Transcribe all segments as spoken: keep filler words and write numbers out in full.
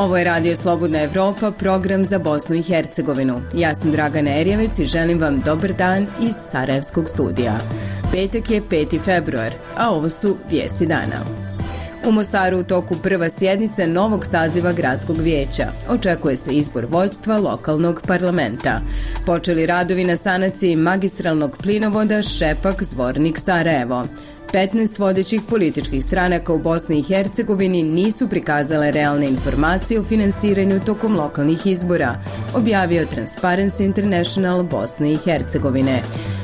Ovo je Radio Slobodna Evropa, program za Bosnu i Hercegovinu. Ja sam Dragana Erjevec i želim vam dobar dan iz Sarajevskog studija. Petak je peti februar, a ovo su vijesti dana. U Mostaru u toku prva sjednica novog saziva gradskog vijeća. Očekuje se izbor vođstva lokalnog parlamenta. Počeli radovi na sanaciji magistralnog plinovoda Šepak-Zvornik-Sarajevo. petnaest vodećih političkih stranaka u Bosni i Hercegovini nisu prikazale realne informacije o finansiranju tokom lokalnih izbora, objavio Transparency International Bosne i Hercegovine.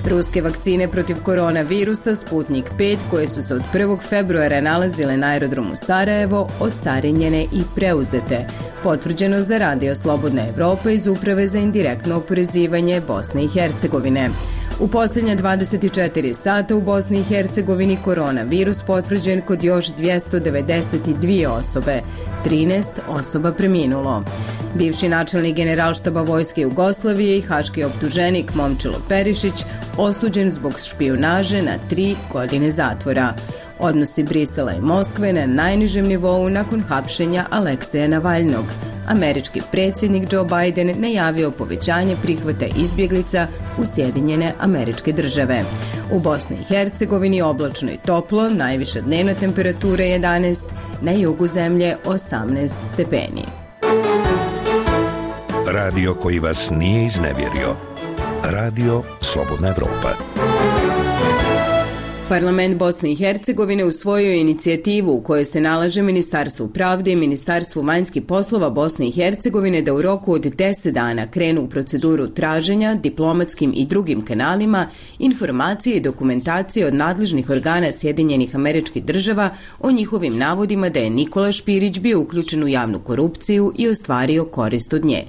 Ruske vakcine protiv koronavirusa Sputnik pet, koje su se od prvog februara nalazile na aerodromu Sarajevo, ocarinjene i preuzete. Potvrđeno za Radio Slobodna Evropa iz Uprave za indirektno oporezivanje Bosne i Hercegovine. U posljednja dvadeset četiri sata u Bosni i Hercegovini koronavirus potvrđen kod još dvjesto devedeset dvije osobe, trinaest osoba preminulo. Bivši načelnik Generalštaba Vojske Jugoslavije i haški optuženik Momčilo Perišić osuđen zbog špijunaže na tri godine zatvora. Odnosi Brisela i Moskve na najnižem nivou nakon hapšenja Alekseja Navalnog. Američki predsjednik Joe Biden najavio povećanje prihvata izbjeglica u Sjedinjene Američke Države. U Bosni i Hercegovini oblačno i toplo, najviša dnevna temperatura jedanaest, na jugu zemlje osamnaest stepeni. Radio koji vas nije iznevjerio. Radio Slobodna Evropa. Parlament Bosne i Hercegovine usvojio je inicijativu u kojoj se nalaže Ministarstvu pravde i Ministarstvu vanjskih poslova Bosne i Hercegovine da u roku od deset dana krenu u proceduru traženja diplomatskim i drugim kanalima informacije i dokumentacije od nadležnih organa Sjedinjenih Američkih Država o njihovim navodima da je Nikola Špirić bio uključen u javnu korupciju i ostvario korist od nje.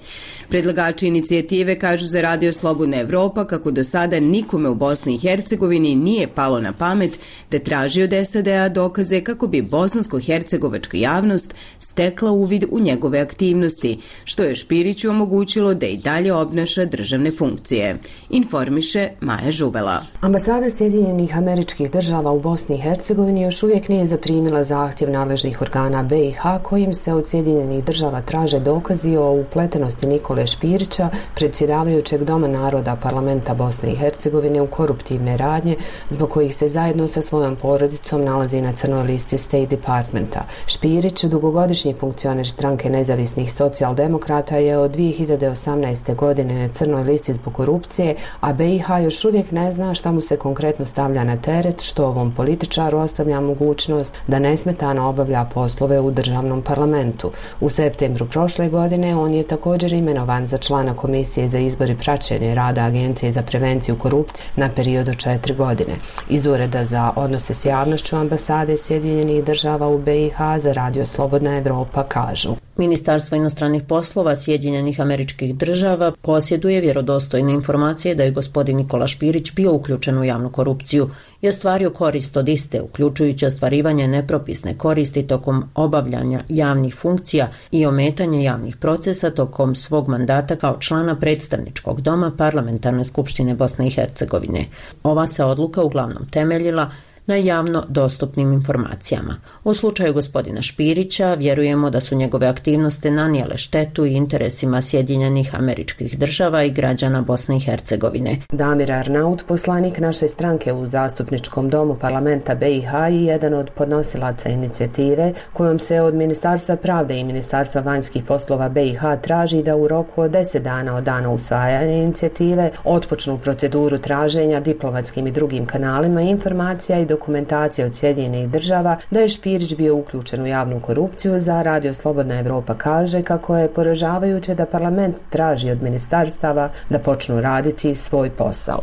Predlagači inicijative kažu za Radio Slobodna Evropa kako do sada nikome u Bosni i Hercegovini nije palo na pamet da traži od S A D-a dokaze kako bi bosansko-hercegovačka javnost stekla uvid u njegove aktivnosti, što je Špiriću omogućilo da i dalje obnaša državne funkcije. Informiše Maja Žubela. Ambasada Sjedinjenih Američkih Država u Bosni i Hercegovini još uvijek nije zaprimila zahtjev nadležnih organa B i H kojim se od Sjedinjenih Država traže dokazi o upletenosti Nikole Špirića, predsjedavajućeg Doma naroda Parlamenta Bosne i Hercegovine, u koruptivne radnje zbog kojih se zajedno sa svojom porodicom nalazi na crnoj listi State Departmenta. Špirić, dugogodišnji funkcioner stranke nezavisnih socijaldemokrata, je od dvije hiljade osamnaeste. godine na crnoj listi zbog korupcije, a B i H još uvijek ne zna šta mu se konkretno stavlja na teret, što ovom političaru ostavlja mogućnost da nesmetano obavlja poslove u državnom parlamentu. U septembru prošle godine on je također imenovan za člana Komisije za izbor i praćenje rada Agencije za prevenciju korupcije na period od četiri godine. Iz Ureda za odnose s javnošću ambasade Sjedinjenih Država u B i H za Radio Slobodna Evropa kažu: Ministarstvo inostranih poslova Sjedinjenih Američkih Država posjeduje vjerodostojne informacije da je gospodin Nikola Špirić bio uključen u javnu korupciju i ostvario korist od iste, uključujući ostvarivanje nepropisne koristi tokom obavljanja javnih funkcija i ometanje javnih procesa tokom svog mandata kao člana predstavničkog doma Parlamentarne skupštine Bosne i Hercegovine. Ova se odluka uglavnom temeljila na javno dostupnim informacijama. U slučaju gospodina Špirića vjerujemo da su njegove aktivnosti nanijele štetu i interesima Sjedinjenih Američkih Država i građana Bosne i Hercegovine. Damir Arnaut, poslanik naše stranke u zastupničkom domu Parlamenta B i H i jedan od podnosilaca inicijative kojom se od Ministarstva pravde i Ministarstva vanjskih poslova B i H traži da u roku od deset dana od dana usvajanja inicijative otpočnu proceduru traženja diplomatskim i drugim kanalima informacija i dokumentacija od Sjedinjenih Država da je Špirić bio uključen u javnu korupciju, za Radio Slobodna Evropa kaže kako je poražavajuće da parlament traži od ministarstava da počnu raditi svoj posao.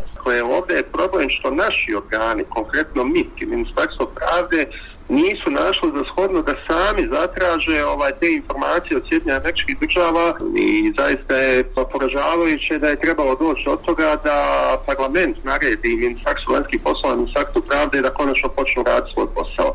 Ovdje je problem što naši organi, konkretno M I T i Ministarstvo pravde, nisu našli za shodno da sami zatraže ovaj, te informacije od Sjedinjenih Američkih Država i zaista je poražavajuće da je trebalo doći od toga da parlament naredi Ministarstvo vanjskih poslova i Ministarstvo pravde da konačno počnu raditi svoj posao.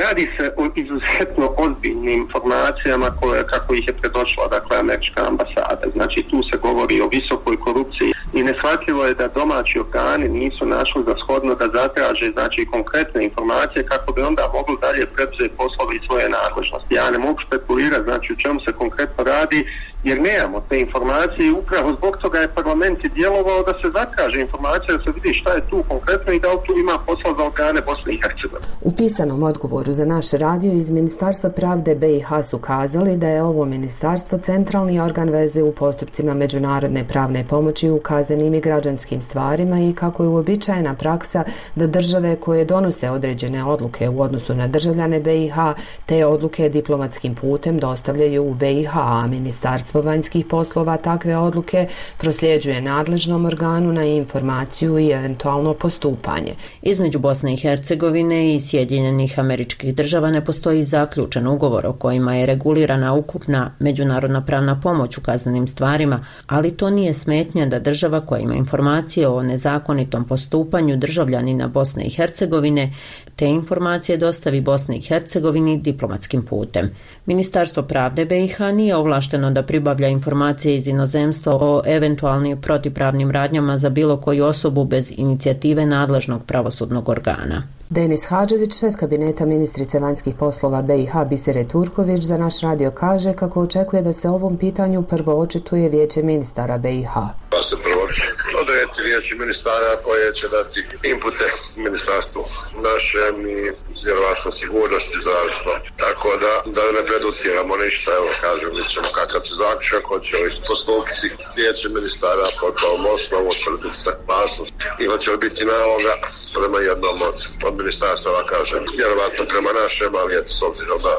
Radi se o izuzetno ozbiljnim informacijama koje, kako ih je predočila dakle, Američka ambasada. Znači tu se govori o visokoj korupciji i neshvatljivo je da domaći organi nisu našli za shodno da zatraže znači, konkretne informacije kako bi onda mogli smjeru dalje preuzeti poslove i svoje nadležnosti. Ja ne mogu spekulirati znači u čemu se konkretno radi, jer nemamo te informacije i upravo zbog toga je parlament i djelovao da se zatraže informacija, da se vidi šta je tu konkretno i da li tu ima posla za organe Bosne i Hercegovine. U pisanom odgovoru za naš radio iz Ministarstva pravde B i H su kazali da je ovo ministarstvo centralni organ veze u postupcima međunarodne pravne pomoći u kaznenim i građanskim stvarima i kako je uobičajena praksa da države koje donose određene odluke u odnosu na državljane B i H te odluke diplomatskim putem dostavljaju u B i H, a Ministarstvo vanjskih poslova takve odluke prosljeđuje nadležnom organu na informaciju i eventualno postupanje. Između Bosne i Hercegovine i Sjedinjenih Američkih Država ne postoji zaključen ugovor o kojima je regulirana ukupna međunarodna pravna pomoć u kaznenim stvarima, ali to nije smetnja da država koja ima informacije o nezakonitom postupanju državljanina Bosne i Hercegovine te informacije dostavi Bosni i Hercegovini diplomatskim putem. Ministarstvo pravde B i H nije ovlašteno da pribavlja informacije iz inozemstva o eventualnim protivpravnim radnjama za bilo koju osobu bez inicijative nadležnog pravosudnog organa. Denis Hadžević, šef kabineta ministrice vanjskih poslova B i H Bisere Turković, za naš radio kaže kako očekuje da se ovom pitanju prvo očituje Vijeće ministara B i H. Pa se prvo odrediti Vijeće ministara koje će dati inpute ministarstvu našem i vjerovatno sigurnosti zavisno. Tako da, da ne preduciramo ništa, evo kažem, mi ćemo kakav će zaključak, hoće li postupiti Vijeće ministara pod tom osnovu, hoće li biti saglasnost i hoće li biti naloga prema jednom od, od ministarstva, kažem, vjerovatno prema našem, ali eto s obzirom da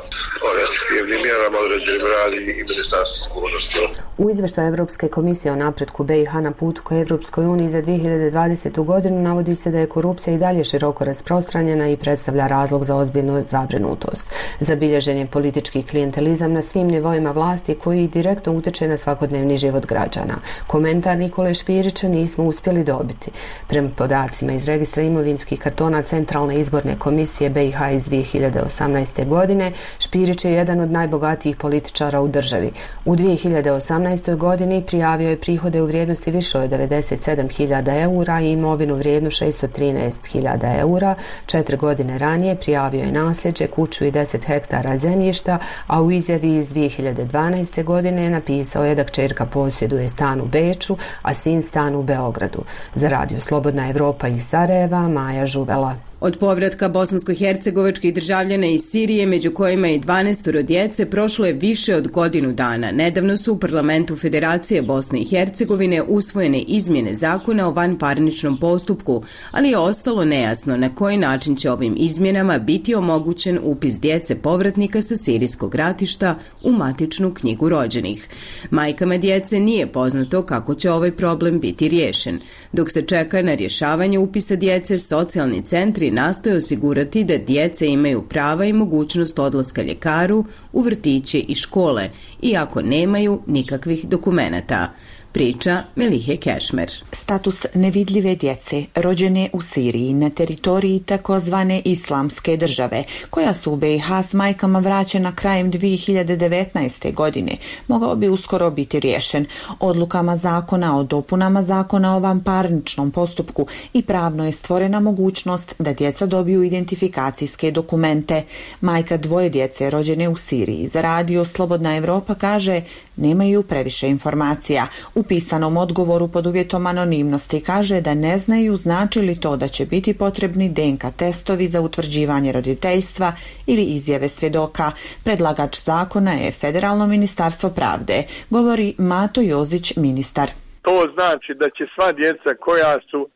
o restriktivnim mjerama određenim radi i ministarstvo sigurnosti. U izveštaju Evropske komisije o napretku B i H na putu ka Evropskoj uniji za dvije hiljade dvadesetu godinu navodi se da je korupcija i dalje široko rasprostranjena i predstavlja razlog za ozbiljnu zabrinutost. Zabilježen je politički klijentelizam na svim nivoima vlasti koji direktno utječe na svakodnevni život građana. Komentar Nikole Špirića nismo uspjeli dobiti. Prema podacima iz registra imovinskih kartona Centralne izborne komisije B i H iz dvije hiljade osamnaeste. godine, Špirić je jedan od najbogatijih političara u državi. U dvije hiljade osamnaestoj. godini prijavio je prihode u vrijednosti više od devedeset sedam hiljada eura i imovinu vrijednu šesto trinaest hiljada eura. Četiri godine ranije prijavio je nasljeđe, kuću i deset hektara zemljišta, a u izjavi iz dvije hiljade dvanaeste. godine napisao je da kćerka posjeduje stan u Beču, a sin stan u Beogradu. Za radio Slobodna Evropa iz Sarajeva, Maja Žuvela. Od povratka bosansko-hercegovačkih državljana iz Sirije, među kojima i dvanaestoro djece, prošlo je više od godinu dana. Nedavno su u parlamentu Federacije Bosne i Hercegovine usvojene izmjene zakona o vanparničnom postupku, ali je ostalo nejasno na koji način će ovim izmjenama biti omogućen upis djece povratnika sa sirijskog ratišta u matičnu knjigu rođenih. Majkama djece nije poznato kako će ovaj problem biti riješen. Dok se čeka na rješavanje upisa djece, socijalni centri nastoje osigurati da djece imaju prava i mogućnost odlaska ljekaru, u vrtiće i škole, iako nemaju nikakvih dokumenata. Priča Melihe Kešmer. Status nevidljive djece rođene u Siriji na teritoriji takozvane islamske države, koja su u B i H s majkama vraćena krajem dvije hiljade devetnaeste. godine, mogao bi uskoro biti riješen odlukama zakona o dopunama zakona o vanparničnom postupku i pravno je stvorena mogućnost da djeca dobiju identifikacijske dokumente. Majka dvoje djece rođene u Siriji za radio Slobodna Evropa kaže nemaju previše informacija. U pisanom odgovoru pod uvjetom anonimnosti kaže da ne znaju znači li to da će biti potrebni D N K testovi za utvrđivanje roditeljstva ili izjave svjedoka. Predlagač zakona je Federalno ministarstvo pravde, govori Mato Jozić, ministar. To znači da će sva djeca koja su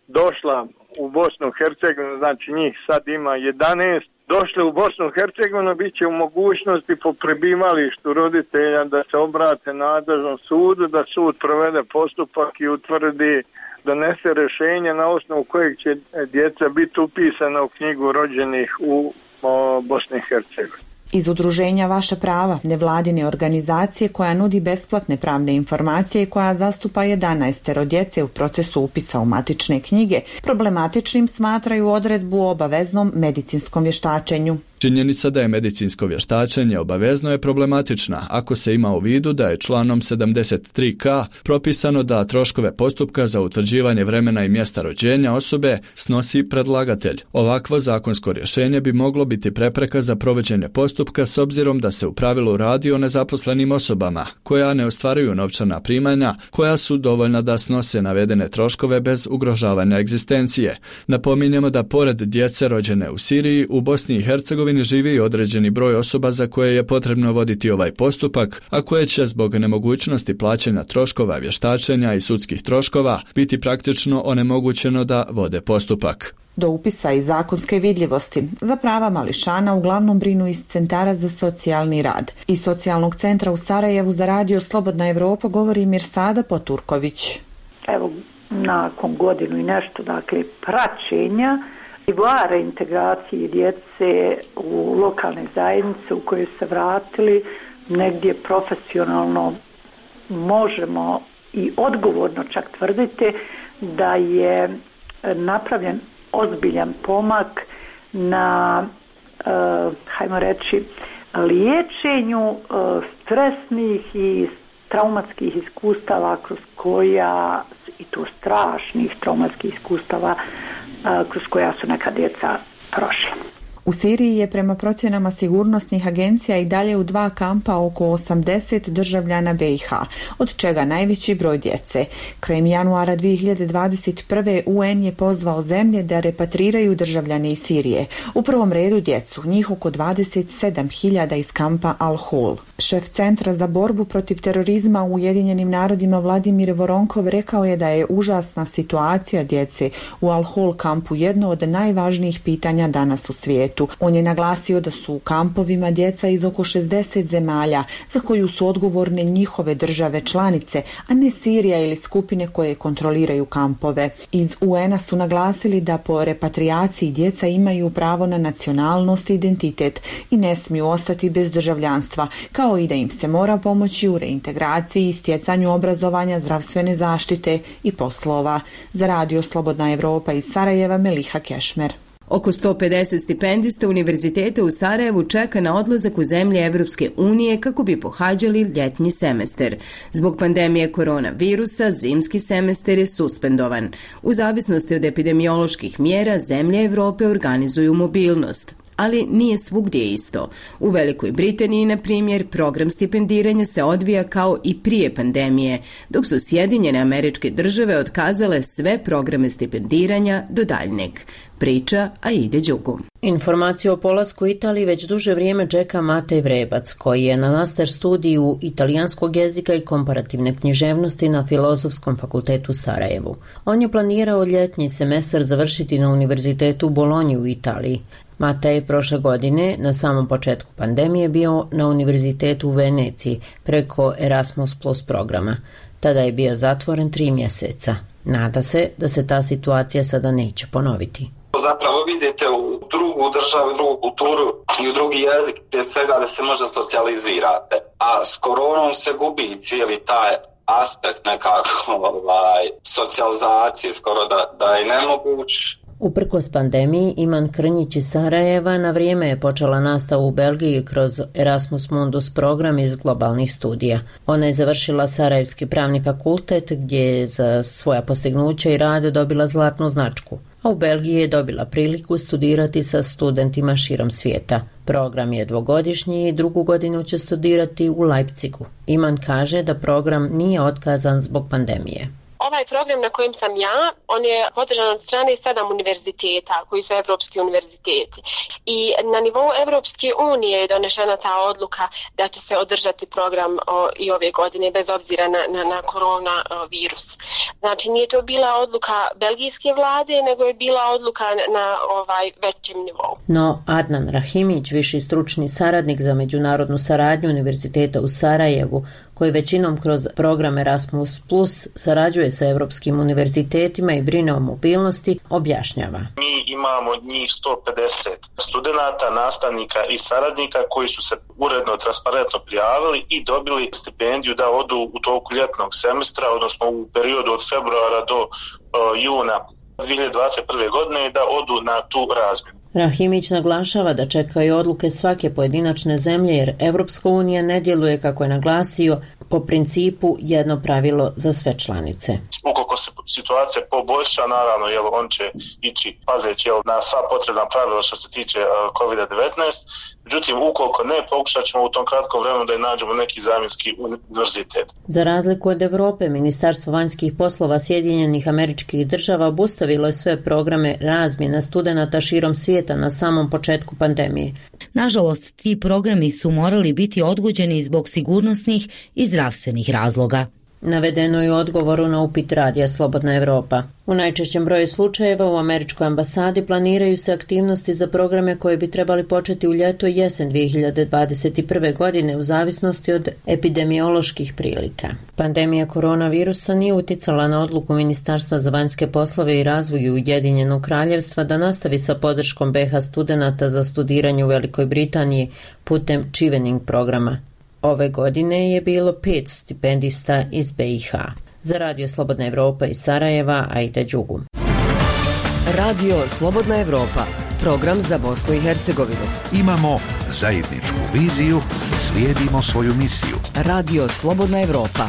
došla u Bosnu i Hercegovinu, znači njih sad ima jedanaest, došle u Bosnu i Hercegovinu, bit će u mogućnosti po prebivalištu roditelja da se obrate nadležnom sudu, da sud provede postupak i utvrdi, donese rješenje na osnovu kojeg će djeca biti upisana u knjigu rođenih u o, Bosni i Hercegovini. Iz udruženja Vaša prava, nevladine organizacije koja nudi besplatne pravne informacije i koja zastupa jedanaestero djece u procesu upisa u matične knjige, problematičnim smatraju odredbu o obaveznom medicinskom vještačenju. Činjenica da je medicinsko vještačenje obavezno je problematična ako se ima u vidu da je članom sedamdeset tri ka propisano da troškove postupka za utvrđivanje vremena i mjesta rođenja osobe snosi predlagatelj. Ovakvo zakonsko rješenje bi moglo biti prepreka za provođenje postupka s obzirom da se u pravilu radi o nezaposlenim osobama koja ne ostvaruju novčana primanja koja su dovoljna da snose navedene troškove bez ugrožavanja egzistencije. Napominjemo da pored djece rođene u Siriji, u Bosni i Hercegovini živi i određeni broj osoba za koje je potrebno voditi ovaj postupak, a koje će zbog nemogućnosti plaćanja troškova vještačenja i sudskih troškova biti praktično onemogućeno da vode postupak. Do upisa i zakonske vidljivosti za prava mališana uglavnom brinu iz centara za socijalni rad. Iz socijalnog centra u Sarajevu za radio Slobodna Evropa govori Mirsada Poturković. Evo, nakon godinu i nešto, dakle, praćenja i nivoa integracije djece u lokalne zajednice u koje se vratili, negdje profesionalno možemo i odgovorno čak tvrditi da je napravljen ozbiljan pomak na, uh, hajmo reći, liječenju uh, stresnih i traumatskih iskustava kroz koja, i to strašnih traumatskih iskustava uh, kroz koja su neka djeca prošla. U Siriji je prema procjenama sigurnosnih agencija i dalje u dva kampa oko osamdeset državljana be i ha, od čega najveći broj djece. Krajem januara dvije hiljade dvadeset prve. u en je pozvao zemlje da repatriraju državljane iz Sirije. U prvom redu djecu, njih oko dvadeset sedam hiljada iz kampa Al-Hol. Šef Centra za borbu protiv terorizma u Ujedinjenim narodima Vladimir Voronkov rekao je da je užasna situacija djece u Al-Hol kampu jedno od najvažnijih pitanja danas u svijetu. On je naglasio da su u kampovima djeca iz oko šezdeset zemalja za koju su odgovorne njihove države članice, a ne Sirija ili skupine koje kontroliraju kampove. Iz u en a su naglasili da po repatriaciji djeca imaju pravo na nacionalnost i identitet i ne smiju ostati bez državljanstva, kao i da im se mora pomoći u reintegraciji i stjecanju obrazovanja, zdravstvene zaštite i poslova. Za radio Slobodna Evropa iz Sarajeva, Meliha Kešmer. Oko sto pedeset stipendista univerziteta u Sarajevu čeka na odlazak u zemlje Evropske unije kako bi pohađali ljetni semestar. Zbog pandemije koronavirusa, zimski semestar je suspendovan. U zavisnosti od epidemioloških mjera, zemlje Evrope organizuju mobilnost. Ali nije svugdje isto. U Velikoj Britaniji, na primjer, program stipendiranja se odvija kao i prije pandemije, dok su Sjedinjene Američke Države otkazale sve programe stipendiranja do daljnjeg. Priča Aide Đugu. Informaciju o polasku u Italiji već duže vrijeme čeka Matej Vrebac, koji je na master studiju italijanskog jezika i komparativne književnosti na Filozofskom fakultetu u Sarajevu. On je planirao ljetni semestar završiti na univerzitetu u Bolonji u Italiji. Matej je prošle godine, na samom početku pandemije, bio na univerzitetu u Veneciji preko Erasmus plus programa. Tada je bio zatvoren tri mjeseca. Nada se da se ta situacija sada neće ponoviti. Zapravo vidite u drugu državu, drugu kulturu i u drugi jezik, prije svega da se možda socijalizirate. A s koronom se gubi cijeli taj aspekt nekako ovaj, socijalizacije, skoro da, da je nemoguć. Uprkos pandemiji, Iman Krnjić iz Sarajeva na vrijeme je počela nastavu u Belgiji kroz Erasmus Mundus program iz globalnih studija. Ona je završila Sarajevski pravni fakultet gdje je za svoja postignuća i rade dobila zlatnu značku, a u Belgiji je dobila priliku studirati sa studentima širom svijeta. Program je dvogodišnji i drugu godinu će studirati u Leipzigu. Iman kaže da program nije otkazan zbog pandemije. Ovaj program na kojem sam ja, on je podržan od strane sedam univerziteta koji su evropski univerziteti. I na nivou Evropske unije je donešena ta odluka da će se održati program o, i ove godine bez obzira na, na, na koronavirus. Znači nije to bila odluka belgijske vlade, nego je bila odluka na, na ovaj većem nivou. No Adnan Rahimić, viši stručni saradnik za međunarodnu saradnju Univerziteta u Sarajevu, koji većinom kroz program Erasmus plus sarađuje sa evropskim univerzitetima i brine o mobilnosti, objašnjava. Mi imamo njih sto pedeset studenata, nastavnika i saradnika koji su se uredno, transparentno prijavili i dobili stipendiju da odu u toku ljetnog semestra, odnosno u periodu od februara do uh, juna dvije hiljade dvadeset prve. godine da odu na tu razmjenu. Rahimić naglašava da čekaju odluke svake pojedinačne zemlje jer Evropska unija ne djeluje, kako je naglasio, po principu jedno pravilo za sve članice. Ukoliko se situacija poboljša, naravno, jel, on će ići pazeći jel, na sva potrebna pravila što se tiče uh, kovid devetnaest. Međutim, ukoliko ne, pokušat ćemo u tom kratkom vremenu da je nađemo neki zamjenski univerzitet. Za razliku od Evrope, Ministarstvo vanjskih poslova Sjedinjenih Američkih Država obustavilo je sve programe razmjena studenata širom svijeta na samom početku pandemije. Nažalost, ti programi su morali biti odgođeni zbog sigurnosnih i zdravstvenih razloga. Navedeno je u odgovoru na upit radija Slobodna Evropa. U najčešćem broju slučajeva u američkoj ambasadi planiraju se aktivnosti za programe koje bi trebali početi u ljeto i jesen dvije hiljade dvadeset prve. godine u zavisnosti od epidemioloških prilika. Pandemija koronavirusa nije uticala na odluku Ministarstva za vanjske poslove i razvoj Ujedinjenog Kraljevstva da nastavi sa podrškom be ha studenata za studiranje u Velikoj Britaniji putem Chevening programa. Ove godine je bilo pet stipendista iz be i ha. Za Radio Slobodna Evropa iz Sarajeva, Aida Đugum. Radio Slobodna Evropa, program za Bosnu i Hercegovinu. Imamo zajedničku viziju, slijedimo svoju misiju. Radio Slobodna Evropa.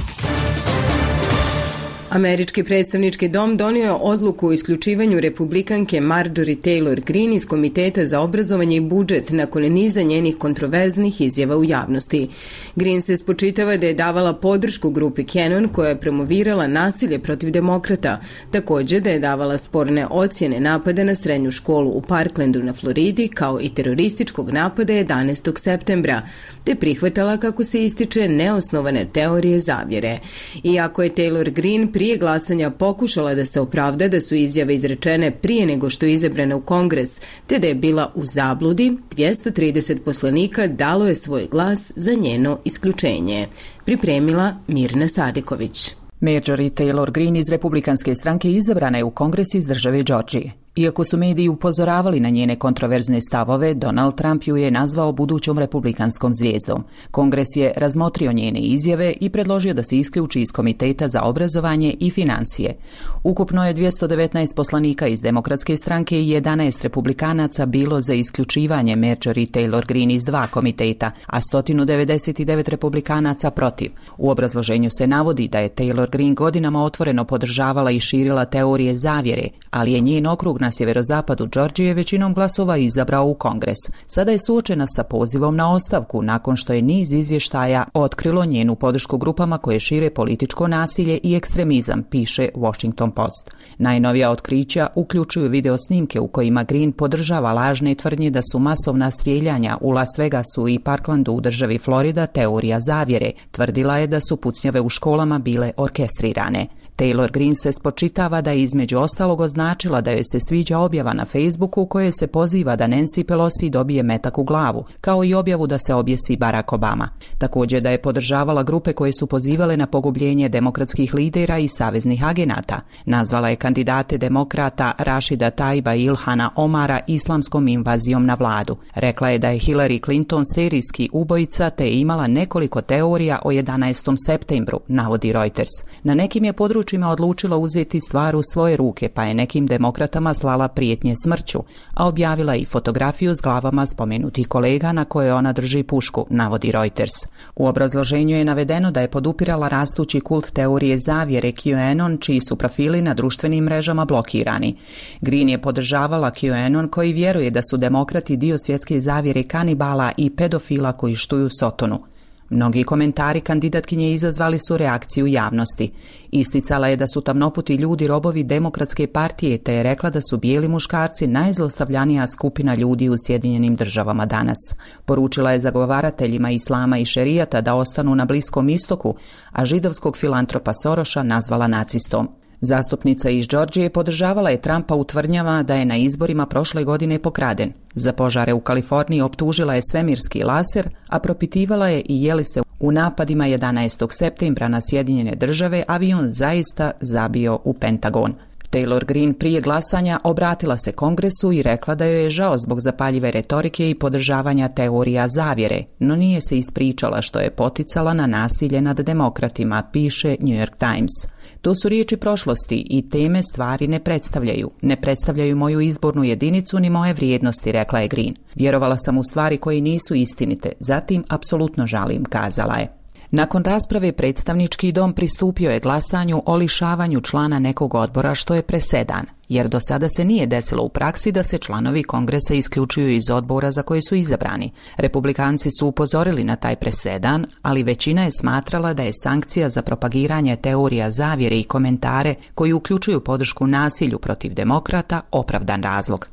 Američki predstavnički dom donio je odluku o isključivanju republikanke Marjorie Taylor Greene iz Komiteta za obrazovanje i budžet nakon niza njenih kontroverznih izjava u javnosti. Greene se spočitava da je davala podršku grupi Cannon koja je promovirala nasilje protiv demokrata, također da je davala sporne ocjene napada na srednju školu u Parklandu na Floridi kao i terorističkog napada jedanaestog septembra, te prihvatala, kako se ističe, neosnovane teorije zavjere. Iako je Taylor Greene prije glasanja pokušala da se opravda da su izjave izrečene prije nego što je izabrana u Kongres, te da je bila u zabludi, dvjesto trideset poslanika dalo je svoj glas za njeno isključenje. Pripremila Mirna Sadiković. Marjorie Taylor Greene iz Republikanske stranke izabrana je u Kongres iz države Georgije. Iako su mediji upozoravali na njene kontroverzne stavove, Donald Trump ju je nazvao budućom republikanskom zvijezdom. Kongres je razmotrio njene izjave i predložio da se isključi iz Komiteta za obrazovanje i financije. Ukupno je dvjesto devetnaest poslanika iz Demokratske stranke i jedanaest republikanaca bilo za isključivanje Marjorie Taylor Greene iz dva komiteta, a sto devedeset devet republikanaca protiv. U obrazloženju se navodi da je Taylor Greene godinama otvoreno podržavala i širila teorije zavjere, ali je njen okrug na sjeverozapadu Georgije većinom glasova izabrao u Kongres. Sada je suočena sa pozivom na ostavku nakon što je niz izvještaja otkrilo njenu podršku grupama koje šire političko nasilje i ekstremizam, piše Washington Post. Najnovija otkrića uključuju video snimke u kojima Greene podržava lažne tvrdnje da su masovna strijeljanja u Las Vegasu i Parklandu u državi Florida teorija zavjere. Tvrdila je da su pucnjave u školama bile orkestrirane. Taylor Greene se spočitava da je između ostalog označila da joj se sviđa objava na Facebooku u kojoj se poziva da Nancy Pelosi dobije metak u glavu, kao i objavu da se objesi Barack Obama. Također da je podržavala grupe koje su pozivale na pogubljenje demokratskih lidera i saveznih agenata. Nazvala je kandidate demokrata Rashida Taiba i Ilhana Omara islamskom invazijom na vladu. Rekla je da je Hillary Clinton serijski ubojica te je imala nekoliko teorija o jedanaestom septembru, navodi Reuters. Na nekim je područjima odlučila uzeti stvar u svoje ruke, pa je nekim demokratama slala prijetnje smrću, a objavila i fotografiju s glavama spomenutih kolega na koje ona drži pušku, navodi Reuters. U obrazloženju je navedeno da je podupirala rastući kult teorije zavjere QAnon, čiji su profili na društvenim mrežama blokirani. Greene je podržavala QAnon koji vjeruje da su demokrati dio svjetske zavjere kanibala i pedofila koji štuju Sotonu. Mnogi komentari kandidatkinje izazvali su reakciju javnosti. Isticala je da su tamnoputi ljudi robovi Demokratske partije, te je rekla da su bijeli muškarci najzlostavljanija skupina ljudi u Sjedinjenim državama danas. Poručila je zagovarateljima islama i šerijata da ostanu na Bliskom istoku, a židovskog filantropa Soroša nazvala nacistom. Zastupnica iz Georgije podržavala je Trumpa u tvrdnjama da je na izborima prošle godine pokraden. Za požare u Kaliforniji optužila je svemirski laser, a propitivala je i je li se u napadima jedanaestog septembra na Sjedinjene države avion zaista zabio u Pentagon. Taylor Greene prije glasanja obratila se Kongresu i rekla da joj je žao zbog zapaljive retorike i podržavanja teorija zavjere, no nije se ispričala što je poticala na nasilje nad demokratima, piše New York Times. To su riječi prošlosti i teme stvari ne predstavljaju. Ne predstavljaju moju izbornu jedinicu ni moje vrijednosti, rekla je Greene. Vjerovala sam u stvari koje nisu istinite, zatim apsolutno žalim, kazala je. Nakon rasprave predstavnički dom pristupio je glasanju o lišavanju člana nekog odbora, što je presedan, jer do sada se nije desilo u praksi da se članovi Kongresa isključuju iz odbora za koje su izabrani. Republikanci su upozorili na taj presedan, ali većina je smatrala da je sankcija za propagiranje teorija zavjere i komentare koji uključuju podršku nasilju protiv demokrata opravdan razlog.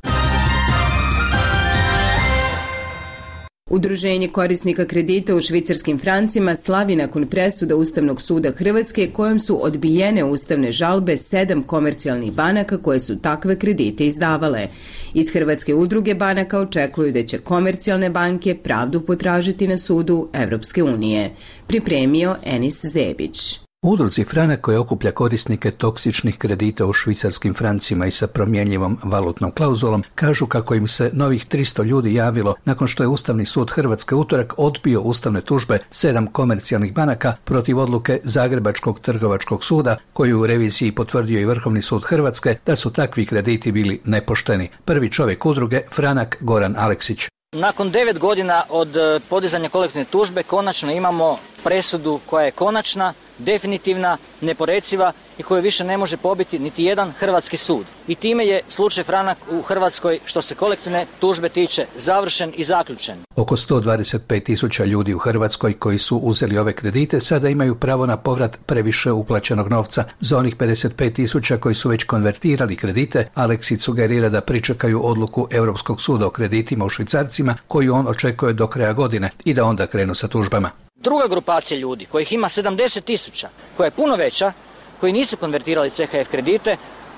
Udruženje korisnika kredita u švicarskim francima slavi nakon presuda Ustavnog suda Hrvatske kojom su odbijene ustavne žalbe sedam komercijalnih banaka koje su takve kredite izdavale. Iz Hrvatske udruge banaka očekuju da će komercijalne banke pravdu potražiti na sudu Evropske unije. Pripremio Enis Zebić. Udruzi Franak koja okuplja korisnike toksičnih kredita u švicarskim francima i sa promjenjivom valutnom klauzulom kažu kako im se novih tristo ljudi javilo nakon što je Ustavni sud Hrvatske utorak odbio ustavne tužbe sedam komercijalnih banaka protiv odluke Zagrebačkog trgovačkog suda koju u reviziji potvrdio i Vrhovni sud Hrvatske da su takvi krediti bili nepošteni. Prvi čovjek udruge Franak Goran Aleksić. Nakon devet godina od podizanja kolektivne tužbe konačno imamo presudu koja je konačna, definitivna, neporeciva i koju više ne može pobiti niti jedan hrvatski sud. I time je slučaj Franak u Hrvatskoj što se kolektivne tužbe tiče završen i zaključen. Oko sto dvadeset pet tisuća ljudi u Hrvatskoj koji su uzeli ove kredite sada imaju pravo na povrat previše uplaćenog novca. Za onih pedeset pet tisuća koji su već konvertirali kredite, Aleksić sugerira da pričekaju odluku Europskog suda o kreditima u švicarcima koju on očekuje do kraja godine i da onda krenu sa tužbama. Druga grupacija ljudi, kojih ima sedamdeset tisuća, koja je puno veća, koji nisu konvertirali C H F kredite,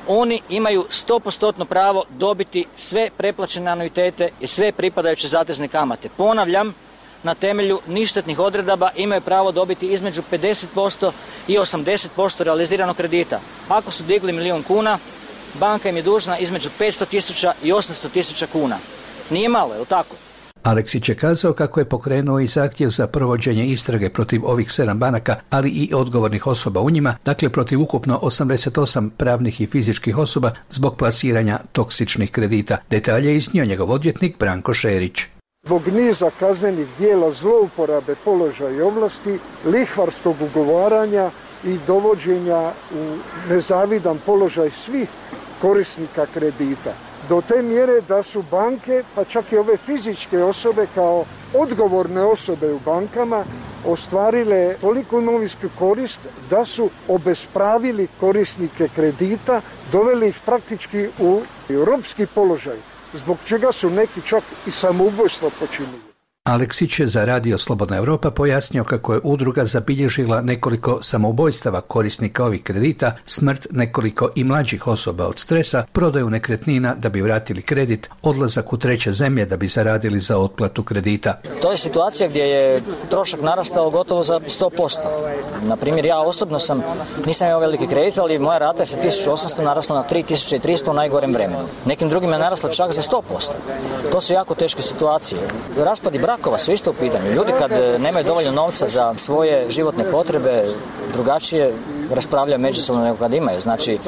oni imaju sto posto pravo dobiti sve preplaćene anuitete i sve pripadajuće zatezne kamate. Ponavljam, na temelju ništetnih odredaba imaju pravo dobiti između pedeset posto i osamdeset posto realiziranog kredita. Ako su digli milijun kuna, banka im je dužna između petsto tisuća i osamsto tisuća kuna. Nije malo, je li tako? Aleksić je kazao kako je pokrenuo i zahtjev za provođenje istrage protiv ovih sedam banaka, ali i odgovornih osoba u njima, dakle protiv ukupno osamdeset osam pravnih i fizičkih osoba zbog plasiranja toksičnih kredita. Detalje je iznio njegov odvjetnik Branko Šerić. Zbog niza kaznenih dijela zlouporabe položaja i ovlasti, lihvarskog ugovaranja i dovođenja u nezavidan položaj svih korisnika kredita. Do te mjere da su banke, pa čak i ove fizičke osobe kao odgovorne osobe u bankama ostvarile toliko imovinsku korist da su obespravili korisnike kredita, doveli ih praktički u ropski položaj, zbog čega su neki čak i samoubojstvo počinili. Aleksić je za Radio Slobodna Europa pojasnio kako je udruga zabilježila nekoliko samoubojstava korisnika ovih kredita, smrt nekoliko i mlađih osoba od stresa, prodaju nekretnina da bi vratili kredit, odlazak u treće zemlje da bi zaradili za otplatu kredita. To je situacija gdje je trošak narastao gotovo za sto posto. Na primjer, ja osobno sam, nisam imao veliki kredit, ali moja rata je sa tisuću osamsto narasla na tri tisuće tristo u najgorem vremenu. Nekim drugim je narasla čak za sto posto. To su jako teške situacije. Raspadi brakova su isto u pitanju. Ljudi kad nemaju dovoljno novca za svoje životne potrebe, drugačije raspravljaju međusobno nego kad imaju. Znači,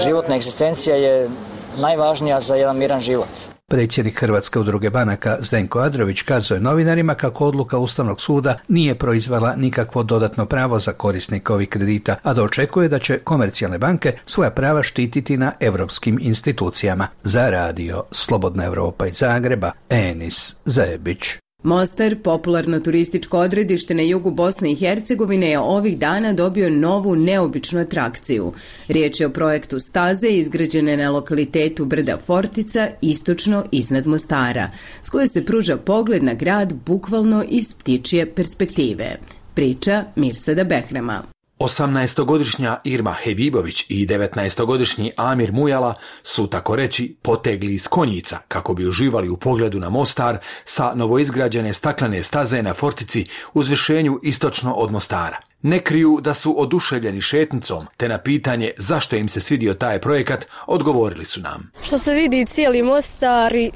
životna egzistencija je najvažnija za jedan miran život. Predsjednik Hrvatske udruge banaka Zdenko Adrović kazuje novinarima kako odluka Ustavnog suda nije proizvela nikakvo dodatno pravo za korisnika ovih kredita, a da očekuje da će komercijalne banke svoja prava štititi na europskim institucijama. Za Radio Slobodna Europa iz Zagreba, Enis Zebić. Mostar, popularno turističko odredište na jugu Bosne i Hercegovine, je ovih dana dobio novu neobičnu atrakciju. Riječ je o projektu staze izgrađene na lokalitetu Brda Fortica, istočno iznad Mostara, s koje se pruža pogled na grad bukvalno iz ptičje perspektive. Priča Mirsada Behrama. osamnaestogodišnja Irma Hebibović i devetnaestogodišnji Amir Mujala su, tako reći, potegli iz konjica kako bi uživali u pogledu na Mostar sa novoizgrađene staklene staze na Fortici u uzvišenju istočno od Mostara. Ne kriju da su oduševljeni šetnicom, te na pitanje zašto im se svidio taj projekat, odgovorili su nam. Što se vidi cijeli Mostar i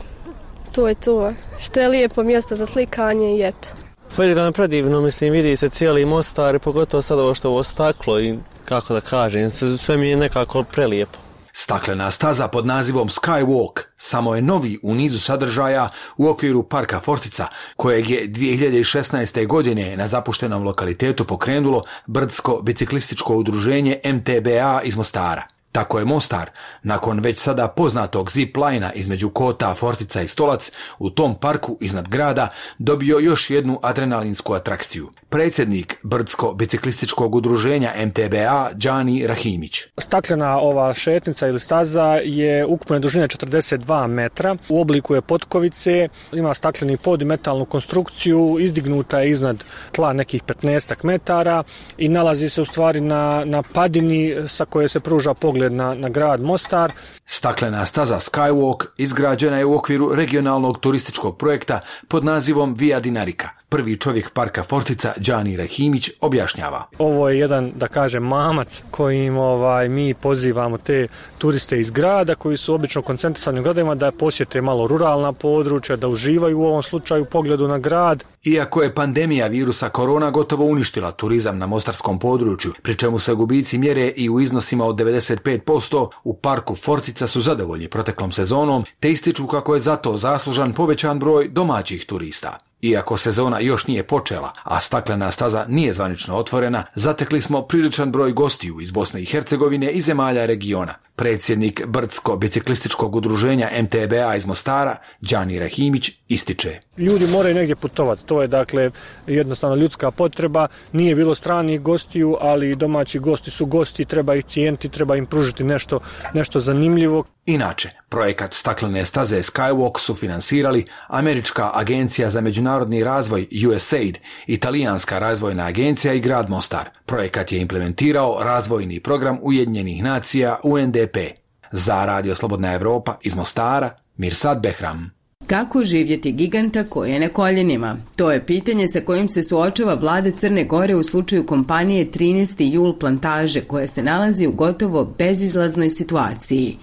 to je to. Što je lijepo mjesto za slikanje i eto. Predivno, predivno, mislim, vidi se cijeli Mostar, pogotovo sad ovo što ovo staklo i kako da kažem, sve mi je nekako prelijepo. Staklena staza pod nazivom Skywalk samo je novi u nizu sadržaja u okviru parka Fortica, kojeg je dvije hiljade šesnaeste. godine na zapuštenom lokalitetu pokrenulo brdsko biciklističko udruženje M T B A iz Mostara. Tako je Mostar, nakon već sada poznatog zip-lina između Kota, Fortica i Stolac, u tom parku iznad grada dobio još jednu adrenalinsku atrakciju. Predsjednik brdsko-biciklističkog udruženja M T B A, Đani Rahimić. Staklena ova šetnica ili staza je ukupne dužine četrdeset dva metra, u obliku je potkovice, ima stakleni pod i metalnu konstrukciju, izdignuta je iznad tla nekih petnaest metara i nalazi se u stvari na, na padini sa koje se pruža pogled na, na grad Mostar. Staklena staza Skywalk izgrađena je u okviru regionalnog turističkog projekta pod nazivom Via Dinarica. Prvi čovjek parka Fortica, Đani Rahimić, objašnjava. Ovo je jedan, da kažem, mamac kojim ovaj, mi pozivamo te turiste iz grada koji su obično koncentrisani u gradovima da posjete malo ruralna područja, da uživaju u ovom slučaju pogledu na grad. Iako je pandemija virusa korona gotovo uništila turizam na mostarskom području, pri čemu se gubici mjere i u iznosima od devedeset pet posto, u parku Fortica su zadovoljni proteklom sezonom, te ističu kako je zato zaslužan povećan broj domaćih turista. Iako sezona još nije počela, a staklena staza nije zvanično otvorena, zatekli smo priličan broj gostiju iz Bosne i Hercegovine i zemalja regiona. Predsjednik brdsko-biciklističkog udruženja M T B A iz Mostara, Đani Rahimić, ističe. Ljudi moraju negdje putovati, to je dakle jednostavno ljudska potreba, nije bilo stranih gostiju, ali domaći gosti su gosti, treba ih cijeniti, treba im pružiti nešto, nešto zanimljivo. Inače, projekat staklene staze Skywalk su finansirali Američka agencija za međunarodni razvoj U S A I D, Italijanska razvojna agencija i grad Mostar. Projekat je implementirao razvojni program Ujedinjenih nacija U N D P. Za Radio Slobodna Evropa iz Mostara, Mirsad Behram. Kako živjeti giganta koji je na koljenima? To je pitanje sa kojim se suočava vlada Crne Gore u slučaju kompanije trinaesti jul Plantaže, koja se nalazi u gotovo bezizlaznoj situaciji.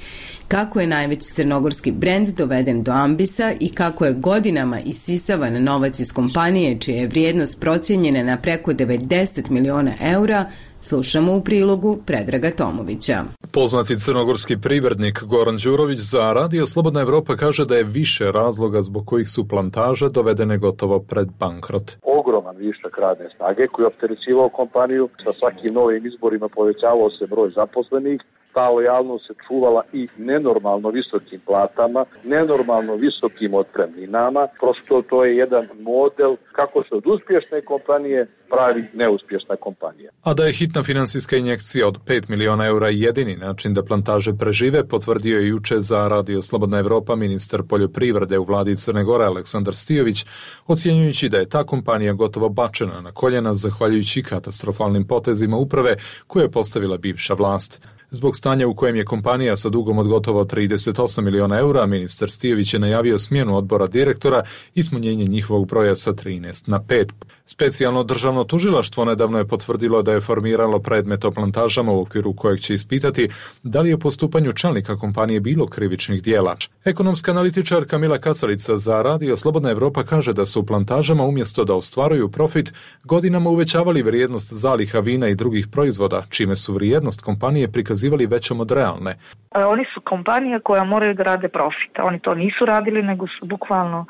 Kako je najveći crnogorski brend doveden do ambisa i kako je godinama isisavan novac iz kompanije čija je vrijednost procijenjena na preko devedeset miliona eura, slušamo u prilogu Predraga Tomovića. Poznati crnogorski privrednik Goran Đurović za Radio Slobodna Evropa kaže da je više razloga zbog kojih su Plantaže dovedene gotovo pred bankrot. Ogroman višak radne snage koji je opterećivao kompaniju, sa svakim novim izborima povećavao se broj zaposlenih, ta lojalnost se čuvala i nenormalno visokim platama, nenormalno visokim otpremninama. Prosto to je jedan model kako se od uspješne kompanije pravi neuspješna kompanija. A da je hitna finansijska injekcija od pet miliona eura jedini način da Plantaže prežive, potvrdio je juče za Radio Slobodna Evropa ministar poljoprivrede u vladi Crne Gore Aleksandar Stijović, ocjenjujući da je ta kompanija gotovo bačena na koljena zahvaljujući katastrofalnim potezima uprave koje je postavila bivša vlast. Zbog stanja u kojem je kompanija sa dugom od gotovo trideset osam miliona eura, ministar Stijović je najavio smjenu odbora direktora i smanjenje njihovog broja sa trinaest na pet. Specijalno državno tužilaštvo nedavno je potvrdilo da je formiralo predmet o Plantažama u okviru kojeg će ispitati da li je u postupanju čelnika kompanije bilo krivičnih dijela. Ekonomska analitičarka Mila Kacalica za Radio Slobodna Evropa kaže da su u Plantažama umjesto da ostvaruju profit godinama uvećavali vrijednost zaliha vina i drugih proizvoda, čime su vrijednost kompanije prikazivali većom od realne. Oni su kompanija koja moraju da rade profit. Oni to nisu radili, nego su bukvalno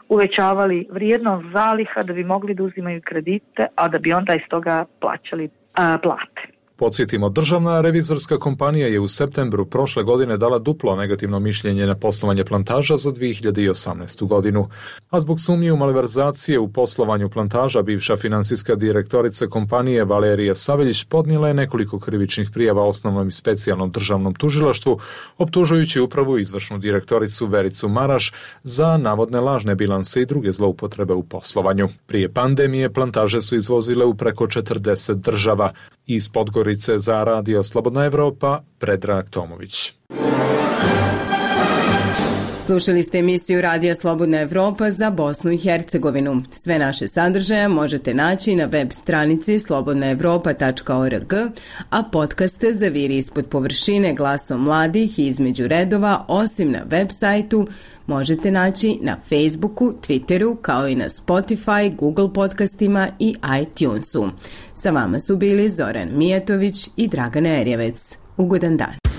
uvećavali vrijednost zaliha da bi mogli da uzimaju kredite, a da bi onda iz toga plaćali a, plate. Podsjetimo, državna revizorska kompanija je u septembru prošle godine dala duplo negativno mišljenje na poslovanje Plantaža za dvije hiljade osamnaestu. godinu. A zbog sumnje u malverzacije u poslovanju Plantaža, bivša finansijska direktorica kompanije Valerija Saveljić podnijela je nekoliko krivičnih prijava osnovnom i specijalnom državnom tužilaštvu, optužujući upravu i izvršnu direktoricu Vericu Maraš za navodne lažne bilanse i druge zloupotrebe u poslovanju. Prije pandemije Plantaže su izvozile u preko četrdeset država. Iz Podgorice za Radio Slobodna Evropa, Predrag Tomović. Slušali ste emisiju Radija Slobodna Evropa za Bosnu i Hercegovinu. Sve naše sadržaje možete naći na web stranici slobodna evropa tačka org, a podcaste Zaviri ispod površine glasom mladih i između redova, osim na web sajtu, možete naći na Facebooku, Twitteru, kao i na Spotify, Google podcastima i iTunesu. Sa vama su bili Zoran Mijatović i Dragana Erjevec. Ugodan dan.